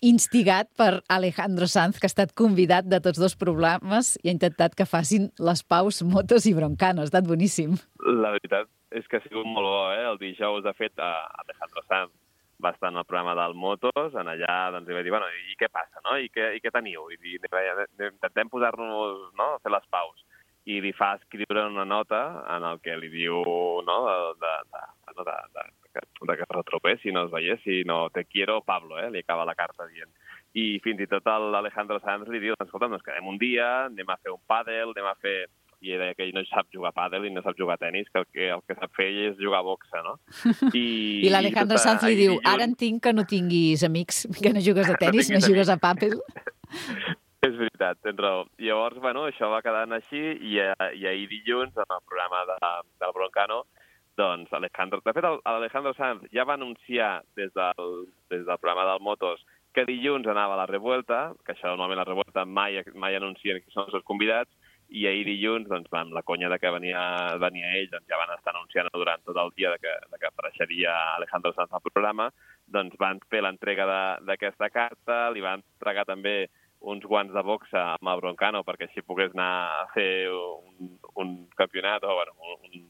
instigat per Alejandro Sanz, que ha estat convidat de tots dos programes i ha intentat que facin les paus Motos i Broncano. Ha estat boníssim. La veritat és que ha sigut molt bo, eh? El dijous, de fet, Alejandro Sanz va estar en el programa del Motos, en allà doncs, li va dir, bueno, i què passa, no? I què, i què teniu? I dir, intentem posar-nos, no?, a fer les paus. I li fa escriure una nota en el que li diu, no?, de, de, de, de, de, de que es retropessi, no es veiessi, no, te quiero, Pablo, eh? Li acaba la carta dient. I fins i tot l'Alejandro Sanz li diu, escolta, ens quedem un dia, anem a fer un pàdel, anem a fer... I ell deia que ell no sap jugar a pàdel i no sap jugar a tenis, que el que, el que sap fer ell és jugar a boxa, no? I, I l'Alejandro Sanz li diu, ara entenc que no tinguis amics, que no jugues a tenis, no, no jugues a pàdel. És veritat, tens raó. Llavors, bueno, això va quedant així i, i ahir dilluns, en el programa de, del Broncano, doncs Alejandro... De fet, l'Alejandro Sanz ja va anunciar des del, des del programa del Motos que dilluns anava a la Revuelta, que això normalment la Revuelta mai, mai anuncien qui són els seus convidats, i ahir dilluns, doncs, amb la conya de que venia, venia ell, doncs ja van estar anunciant durant tot el dia de que, de que apareixeria Alejandro Sanz al programa, doncs van fer l'entrega d'aquesta carta, li van entregar també uns guants de boxa amb el Broncano perquè així pogués anar a fer un, un campionat o bueno, un,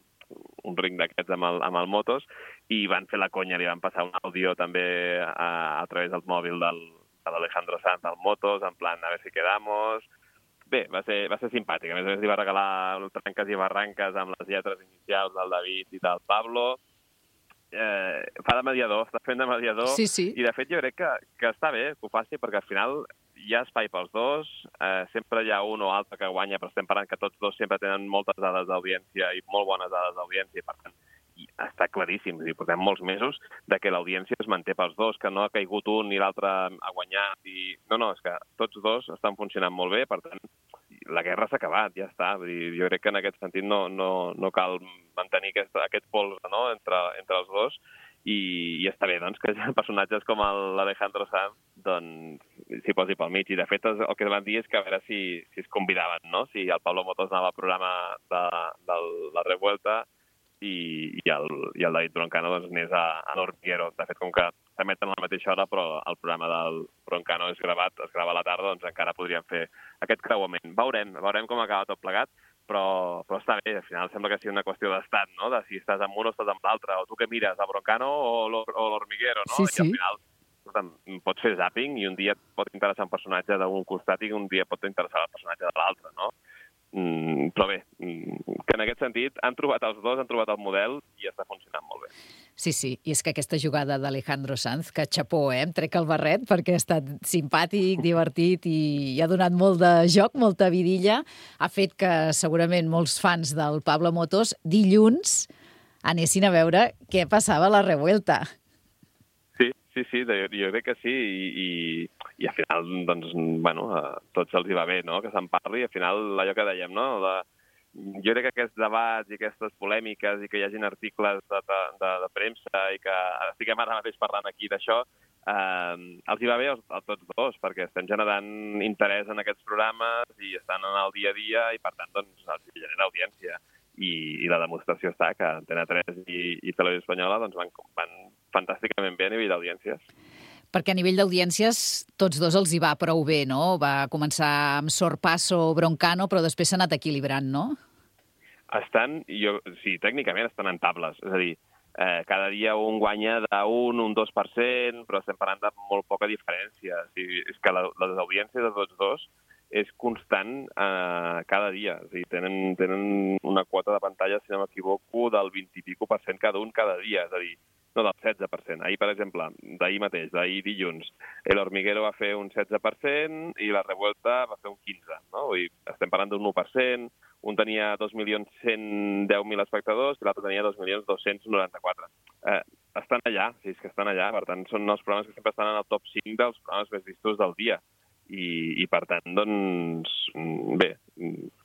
un ring d'aquests amb, el, amb el Motos, i van fer la conya, li van passar un àudio també a, a través del mòbil del, de l'Alejandro Sanz al Motos, en plan, a ver si quedamos... Bé, va ser, va ser simpàtic. A més a més, li va regalar trenques i barranques amb les lletres inicials del David i del Pablo. Eh, fa de mediador, està fent de mediador. Sí, sí. I, de fet, jo crec que, que està bé que ho faci, perquè al final hi ha espai pels dos, eh, sempre hi ha un o altre que guanya, però estem parlant que tots dos sempre tenen moltes dades d'audiència i molt bones dades d'audiència, i per tant, i està claríssim, és a dir, portem molts mesos de que l'audiència es manté pels dos, que no ha caigut un ni l'altre ha guanyat. I... No, no, és que tots dos estan funcionant molt bé, per tant, la guerra s'ha acabat, ja està. Vull dir, jo crec que en aquest sentit no, no, no cal mantenir aquest, aquest polze, no?, entre, entre els dos, i, i està bé, doncs, que personatges com l'Alejandro Sanz doncs, s'hi posi pel mig. I, de fet, el que van dir és que a veure si, si es convidaven, no?, si el Pablo Motos anava al programa de, de la Revuelta i, i, el, i el David Broncano doncs, anés a, a l'Hormiguero. De fet, com que s'emeten a la mateixa hora, però el programa del Broncano és gravat, es grava a la tarda, doncs encara podríem fer aquest creuament. Veurem, veurem com acaba tot plegat, però, però està bé. Al final sembla que sigui una qüestió d'estat, no?, de si estàs amb un o estàs amb l'altre, o tu què mires, el Broncano o l'Hormiguero, no? Sí, sí. I al final escolta'm, pots fer zapping i un dia et pot interessar un personatge d'un costat i un dia pot interessar el personatge de l'altre, no? Mm, però bé, mm, que en aquest sentit han trobat els dos, han trobat el model i està funcionant molt bé. Sí, sí, i és que aquesta jugada d'Alejandro Sanz, que xapó, eh? Em trec el barret perquè ha estat simpàtic, divertit i ha donat molt de joc, molta vidilla, ha fet que segurament molts fans del Pablo Motos dilluns anessin a veure què passava a la Revuelta. Sí, sí, sí, jo, jo crec que sí, i, i, i al final, doncs, bueno, a tots els hi va bé, no?, que se'n parli, i al final allò que dèiem, no?, de, jo crec que aquests debats i aquestes polèmiques i que hi hagin articles de, de, de, de premsa i que estiguem ara mateix parlant aquí d'això, eh, els hi va bé a tots dos, perquè estem generant interès en aquests programes i estan en el dia a dia i, per tant, doncs, els genera audiència. I, i la demostració està que Antena tres i, i Televisió Espanyola doncs, van, van fantàsticament bé a nivell d'audiències. Perquè a nivell d'audiències tots dos els hi va prou bé, no? Va començar amb Sorpasso o Broncano, però després s'ha anat equilibrant, no? Estan, jo, sí, tècnicament estan en tables. És a dir, eh, cada dia un guanya d'un, un dos per cent, però estem parlant de molt poca diferència. O sigui, és que la, les audiències de tots dos és constant eh, cada dia. O sigui, tenen, tenen una quota de pantalla, si no m'equivoco, del vint i pico per cent cada un cada dia. És a dir, no, del setze per cent. Ahir, per exemple, d'ahir mateix, d'ahir dilluns, El Hormiguero va fer un setze per cent i La Revuelta va fer un quinze per cent. No? Vull dir, estem parlant d'un u per cent, un tenia dos milions cent deu mil espectadors i l'altre tenia dos milions dos-cents noranta-quatre. Eh, estan allà, sí, és que estan allà. Per tant, són els programes que sempre estan en el top cinc dels programes més vistos del dia. I, i per tant, doncs, bé,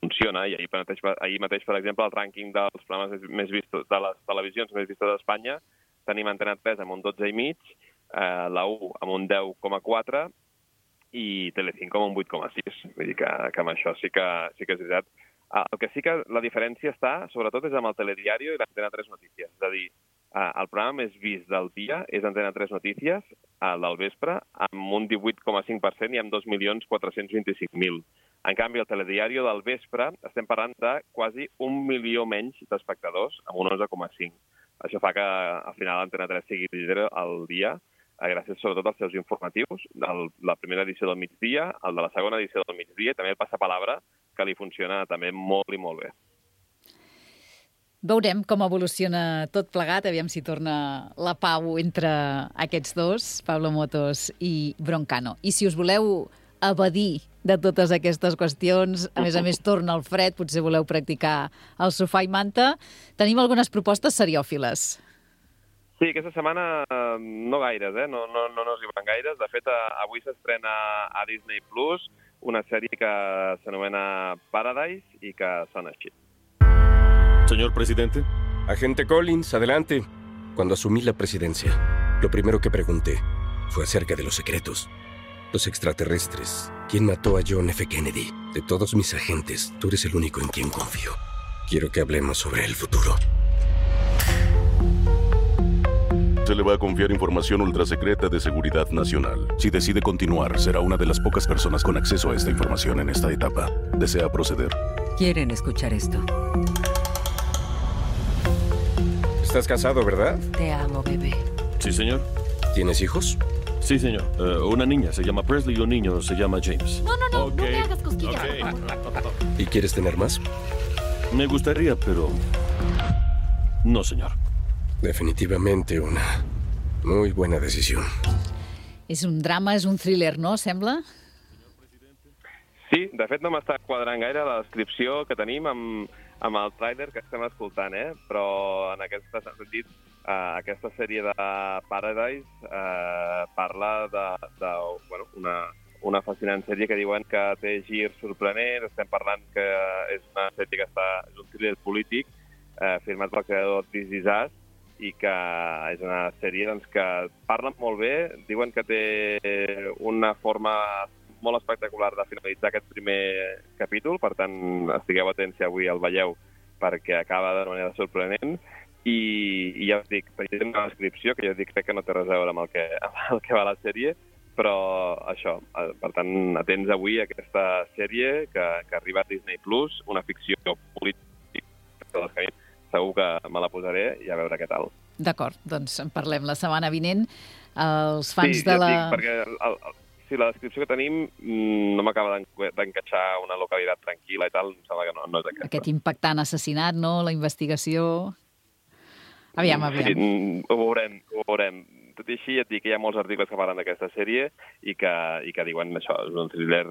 funciona. I ahir mateix, ahir mateix, per exemple, el rànquing dels programes més vistos, de les televisions més vistes d'Espanya, tenim Antena tres amb un dotze i mig, eh, la u amb un deu coma quatre i Telecinco amb un vuit coma sis. Vull dir que, que amb això sí que, sí que és veritat. El que sí que la diferència està, sobretot, és amb el Telediario i l'Antena tres Notícies. És a dir, el programa més vist del dia és Antena tres Notícies, el del vespre, amb un divuit coma cinc per cent i amb dos milions quatre-cents vint-i-cinc mil. En canvi, el Telediario del vespre estem parlant de quasi un milió menys d'espectadors, amb un onze coma cinc. Això fa que, al final, Antena tres sigui líder al dia, gràcies sobretot als seus informatius, el, la primera edició del migdia, el de la segona edició del migdia, i també el passapalabra, que li funciona també molt i molt bé. Veurem com evoluciona tot plegat, aviam si torna la pau entre aquests dos, Pablo Motos i Broncano. I si us voleu evadir de totes aquestes qüestions, a més a més torna el fred, potser voleu practicar el sofà i manta, tenim algunes propostes seriòfiles. Sí, aquesta setmana no gaires, eh? no, no, no nos hi van gaires. De fet, avui s'estrena a Disney Plus una sèrie que s'anomena Paradise i que sona així. Señor presidente. Agente Collins, adelante. Cuando asumí la presidencia, lo primero que pregunté fue acerca de los secretos. Los extraterrestres. ¿Quién mató a John F. Kennedy? De todos mis agentes, tú eres el único en quien confío. Quiero que hablemos sobre el futuro. Se le va a confiar información ultrasecreta de seguridad nacional. Si decide continuar, será una de las pocas personas con acceso a esta información en esta etapa. ¿Desea proceder? Quieren escuchar esto. Estás casado, ¿verdad? Te amo, bebé. Sí, señor. ¿Tienes hijos? Sí, señor. Uh, una niña se llama Presley y un niño se llama James. No, no, no, okay. no me hagas cosquillas. Okay. ¿Y quieres tener más? Me gustaría, pero... no, señor. Definitivamente una muy buena decisión. És un drama, és un thriller, no, sembla? Sí, de fet no m'està quadrant gaire la descripció que tenim amb, amb el tràiler que estem escoltant, eh? Però en aquest sentit, eh, aquesta sèrie de Paradise eh, parla de, de bueno, una, una fascinant sèrie que diuen que té gir sorprenent. Estem parlant que és una sèrie que està, és un thriller polític eh, firmat pel creador This Is Us, i que és una sèrie doncs, que parla molt bé, diuen que té una forma molt espectacular de finalitzar aquest primer capítol, per tant, estigueu atents si avui el veieu, perquè acaba de manera sorprenent, i, i ja us dic, hi ha una descripció que jo dic crec que no té res a veure amb el que, amb el que va la sèrie, però això, per tant, atents avui a aquesta sèrie que, que arriba a Disney Plus, una ficció política, segur que me la posaré i a veure què tal. D'acord, doncs en parlem la setmana vinent. Els fans sí, de la... Sí, ja dic, perquè el, el, sí, la descripció que tenim no m'acaba d'encaixar una localitat tranquil·la i tal, em sembla que no, no és aquesta. Aquest impactant assassinat, no?, la investigació... Aviam, aviam. Sí, ho veurem, ho veurem. Tot i així, ja et dic que hi ha molts articles que parlen d'aquesta sèrie i que, i que diuen això, és un thriller,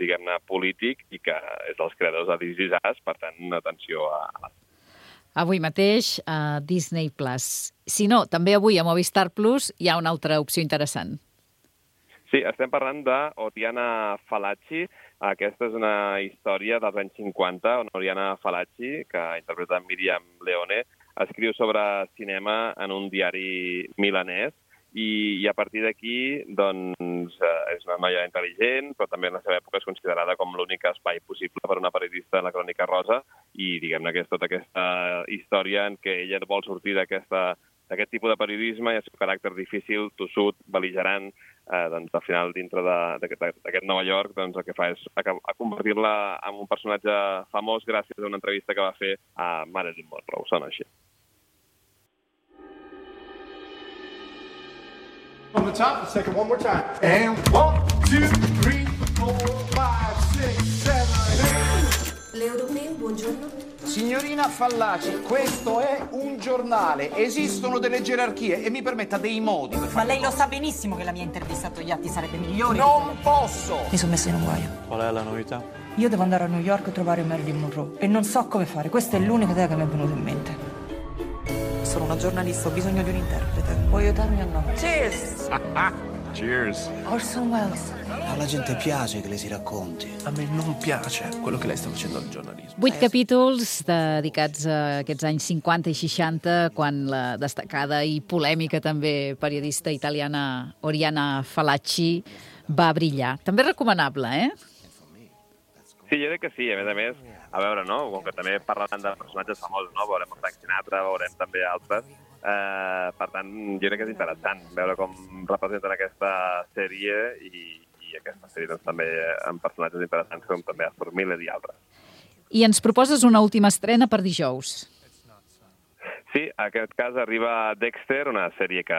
diguem-ne, polític i que és dels creadors de This Is Us, per tant, atenció a la avui mateix a Disney Plus. Si no, també avui a Movistar Plus hi ha una altra opció interessant. Sí, estem parlant d'Oriana Fallaci. Aquesta és una història dels anys cinquanta, on Oriana Fallaci, que interpreta Miriam Leone, escriu sobre cinema en un diari milanès i, i a partir d'aquí doncs, és una noia intel·ligent, però també en la seva època és considerada com l'únic espai possible per una periodista de la Crònica Rosa i diguem-ne que és tota aquesta història en què ella vol sortir d'aquesta d'aquest tipus de periodisme i el seu caràcter difícil, tossut, bel·ligerant, eh, doncs al final dintre d'aquest Nova York doncs el que fa és a, a convertir-la en un personatge famós gràcies a una entrevista que va fer a Marilyn Monroe, sona així. On the top, the second one more time. And one, two, three, four, five, six, seven, eight. L'Europeo, buongiorno. Signorina Fallaci, questo è un giornale, esistono delle gerarchie e mi permetta dei modi per fare. Ma lei lo sa benissimo che la mia intervista a Togliatti sarebbe migliore. Non posso! Mi sono messa in un guaio. Qual è la novità? Io devo andare a New York a trovare Marilyn Monroe e non so come fare, questa è l'unica idea che mi è venuta in mente. Sono una giornalista, ho bisogno di un interprete. Puoi aiutarmi o no? Cheers! Cheers! Orson Welles. Alla gente piace che le si racconti. A me non piace quello che lei sta facendo al giornalismo. Vuit capítols dedicats a aquests anys cinquanta i seixanta, quan la destacada i polèmica també periodista italiana Oriana Fallaci va brillar. També recomanable, eh? Sí, jo crec que sí. A més a més, a veure, no? Com que també parlen de personatges famosos, no? Veurem el Frank Sinatra, veurem també altres. Eh, per tant, jo crec que és interessant veure com representen aquesta sèrie i, i aquesta sèrie doncs, també amb personatges interessants com també Arthur Miller i altres. I ens proposes una última estrena per dijous. Sí, en aquest cas arriba Dexter, una sèrie que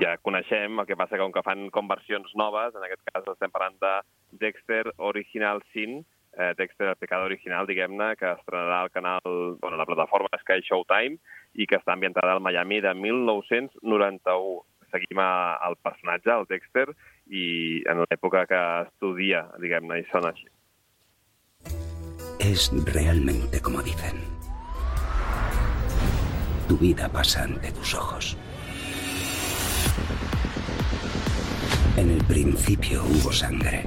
ja coneixem, el que passa que com que fan com versions noves, en aquest cas estem parlant de Dexter Original Sin, eh, Dexter el pecado original, diguem-ne, que estrenarà al canal, bueno, la plataforma Sky Showtime i que està ambientada al Miami de mil nou-cents noranta-u. Seguim el personatge, el Dexter, i en l'època que estudia, diguem-ne, i sona així. Es realmente como dicen. Tu vida pasa ante tus ojos. En el principio hubo sangre.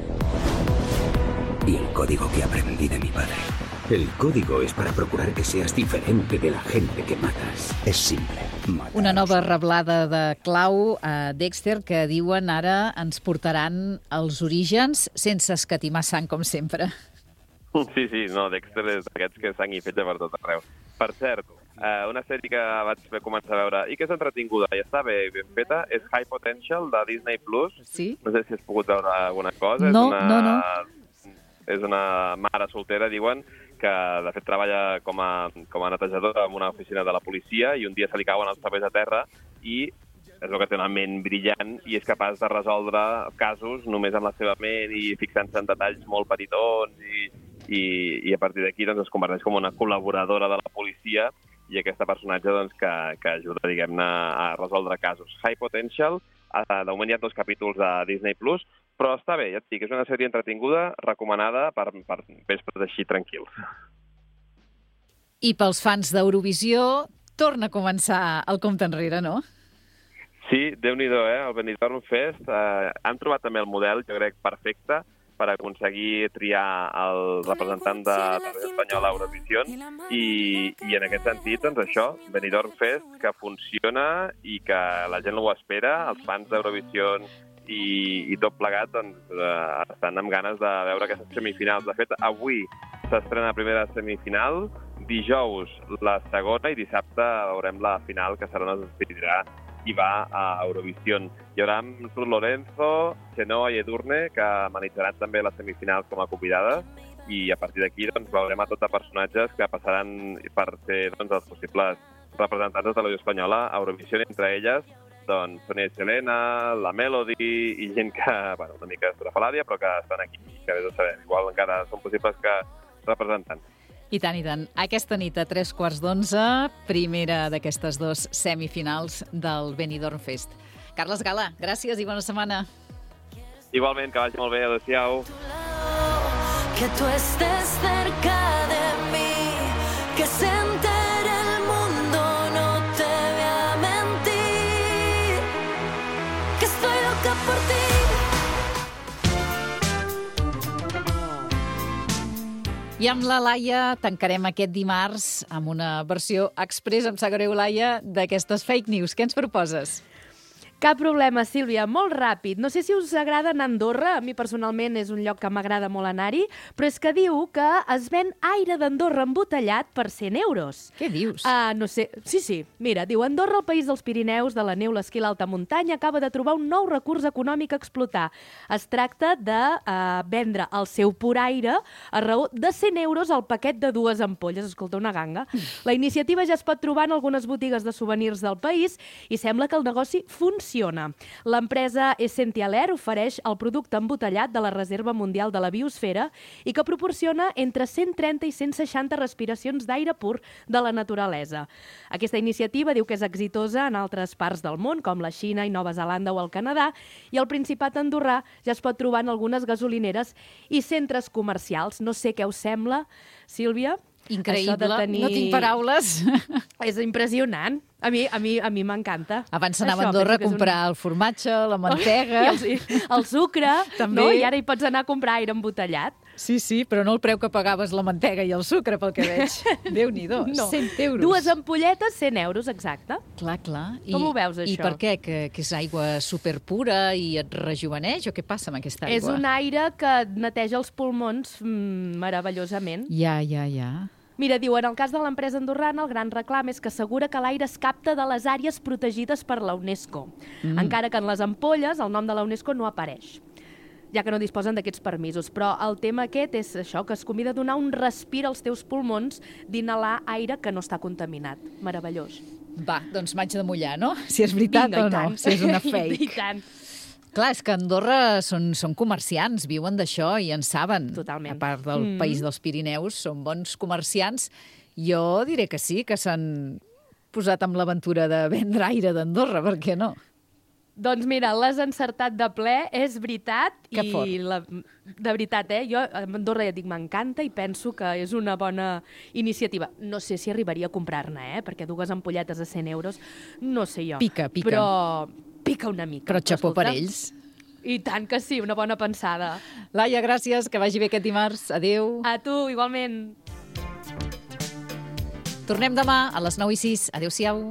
Y el código que aprendí de mi padre. El código es para procurar que seas diferente de la gente que matas. Es simple. Una nova reblada de clau a Dexter que diuen ara ens portaran als orígens sense escatimar sang, com sempre. Sí, sí, no, Dexter és d'aquests que sang i fetge per tot arreu. Per cert, eh, una sèrie que vaig començar a veure i que és entretinguda i està bé ben feta és High Potential de Disney Plus. Sí? No sé si has pogut veure alguna cosa. No, és una, no, no. És una mare soltera, diuen, que de fet treballa com a, com a netejadora en una oficina de la policia i un dia se li cauen els papers a terra i és el que té una ment brillant i és capaç de resoldre casos només amb la seva ment i fixant-se en detalls molt petitons i, i, i a partir d'aquí doncs, es converteix com una col·laboradora de la policia i aquesta personatge doncs, que, que ajuda, diguem-ne, a resoldre casos. High Potential, de moment hi ha dos capítols a Disney Plus, però està bé, ja et dic, és una sèrie entretinguda, recomanada per, per vespres així tranquils. I pels fans d'Eurovisió, torna a començar el compte enrere, no? Sí, Déu-n'hi-do, eh? El Benidorm Fest. Eh, han trobat també el model, jo crec, perfecte per aconseguir triar el representant de la televisió espanyola a Eurovisió i, i en aquest sentit, doncs això, Benidorm Fest, que funciona i que la gent ho espera, els fans d'Eurovisió i, i tot plegat doncs, eh, estan amb ganes de veure aquestes semifinals. De fet, avui s'estrena la primera semifinal, dijous la segona i dissabte veurem la final que serà on es decidirà i va a Eurovisió. Hi haurà Sur Lorenzo, Chenoa i Edurne, que amenitzzaran també les semifinals com a convidades, i a partir d'aquí doncs, veurem a tots els personatges que passaran per ser doncs, els possibles representants de la televisió espanyola a Eurovisió, entre elles doncs, Sonia i Selena, la Melody i gent que, bueno, una mica estrafalària, però que estan aquí, que bé de saber. Igual encara són possibles que representants. I tant, i tant. Aquesta nit a tres quarts d'onze, primera d'aquestes dues semifinals del Benidorm Fest. Carles Gala, gràcies i bona setmana. Igualment, que vagi molt bé. Adéu-siau. Que tu estés cerca de mí, que se entere el mundo, no te voy a mentir, que estoy loca por ti. I amb la Laia tancarem aquest dimarts amb una versió express, em sap greu, Laia, d'aquestes fake news. Què ens proposes? Cap problema, Sílvia, molt ràpid. No sé si us agrada anar a Andorra, a mi personalment és un lloc que m'agrada molt anar-hi, però és que diu que es ven aire d'Andorra embotellat per cent euros. Què dius? Uh, no sé, sí, sí. Mira, diu, Andorra, el país dels Pirineus, de la neu, l'esquí, l'alta muntanya, acaba de trobar un nou recurs econòmic a explotar. Es tracta de uh, vendre el seu pur aire a raó de cent euros al paquet de dues ampolles. Escolta, una ganga. La iniciativa ja es pot trobar en algunes botigues de souvenirs del país i sembla que el negoci funciona. L'empresa Essential Air ofereix el producte embotellat de la Reserva Mundial de la Biosfera i que proporciona entre cent trenta i cent seixanta respiracions d'aire pur de la naturalesa. Aquesta iniciativa diu que és exitosa en altres parts del món, com la Xina i Nova Zelanda o el Canadà, i el Principat andorrà ja es pot trobar en algunes gasolineres i centres comercials. No sé què us sembla, Sílvia? Increïble, tenir... no tinc paraules. És impressionant. A mi a mi a mi m'encanta. Abans anava a Andorra a comprar un... el formatge, la mantega... I el, el sucre, també. No? I ara hi pots anar a comprar aire embotellat. Sí, sí, però no el preu que pagaves la mantega i el sucre, pel que veig. Déu-n'hi-do, no. cent euros. Dues ampolletes, cent euros, exacte. Clar, clar. Com I, ho veus, això? I per què? Que, que és aigua superpura i et rejuveneix? O què passa amb aquesta aigua? És un aire que neteja els pulmons mm, meravellosament. Ja, ja, ja. Mira, diu, en el cas de l'empresa andorrana, el gran reclam és que assegura que l'aire es capta de les àrees protegides per la UNESCO, mm. encara que en les ampolles el nom de la UNESCO no apareix, ja que no disposen d'aquests permisos. Però el tema aquest és això, que es convida a donar un respir als teus pulmons d'inhalar aire que no està contaminat. Meravellós. Va, doncs m'haig de mullar, no? Si és veritat Vinga, o no, si és una fake. I tant. Clar, és que a Andorra són, són comerciants, viuen d'això i en saben. Totalment. A part del mm. país dels Pirineus, són bons comerciants. Jo diré que sí, que s'han posat amb l'aventura de vendre aire d'Andorra, per què no? Doncs mira, l'has encertat de ple, és veritat. Que i fort. La, de veritat, eh? Jo a Andorra ja dic, m'encanta i penso que és una bona iniciativa. No sé si arribaria a comprar-ne, eh? Perquè dues ampolletes a cent euros, no sé jo. Pica, pica. Però pica una mica. Però xapó per ells. I tant que sí, una bona pensada. Laia, gràcies, que vagi bé aquest dimarts. Adéu. A tu, igualment. Tornem demà a les nou i sis. Adéu-siau.